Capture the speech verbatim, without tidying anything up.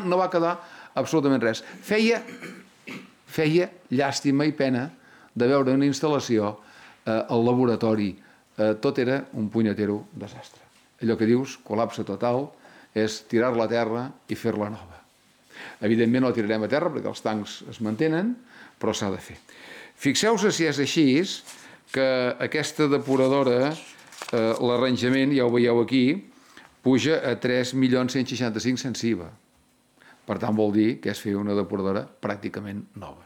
No va quedar absolutament res. Feia, feia llàstima i pena de veure una instal·lació al laboratori. Tot era un punyetero desastre. Allò que dius, col·lapse total, és tirar-la a terra i fer-la nova. Evidentment no la tirarem a terra perquè els tancs es mantenen, però s'ha de fer. Fixeu-vos si és així que aquesta depuradora, l'arranjament, ja ho veieu aquí, puja a tres milions cent seixanta-cinc sense I V A. Per tant, vol dir que és fer una depuradora pràcticament nova.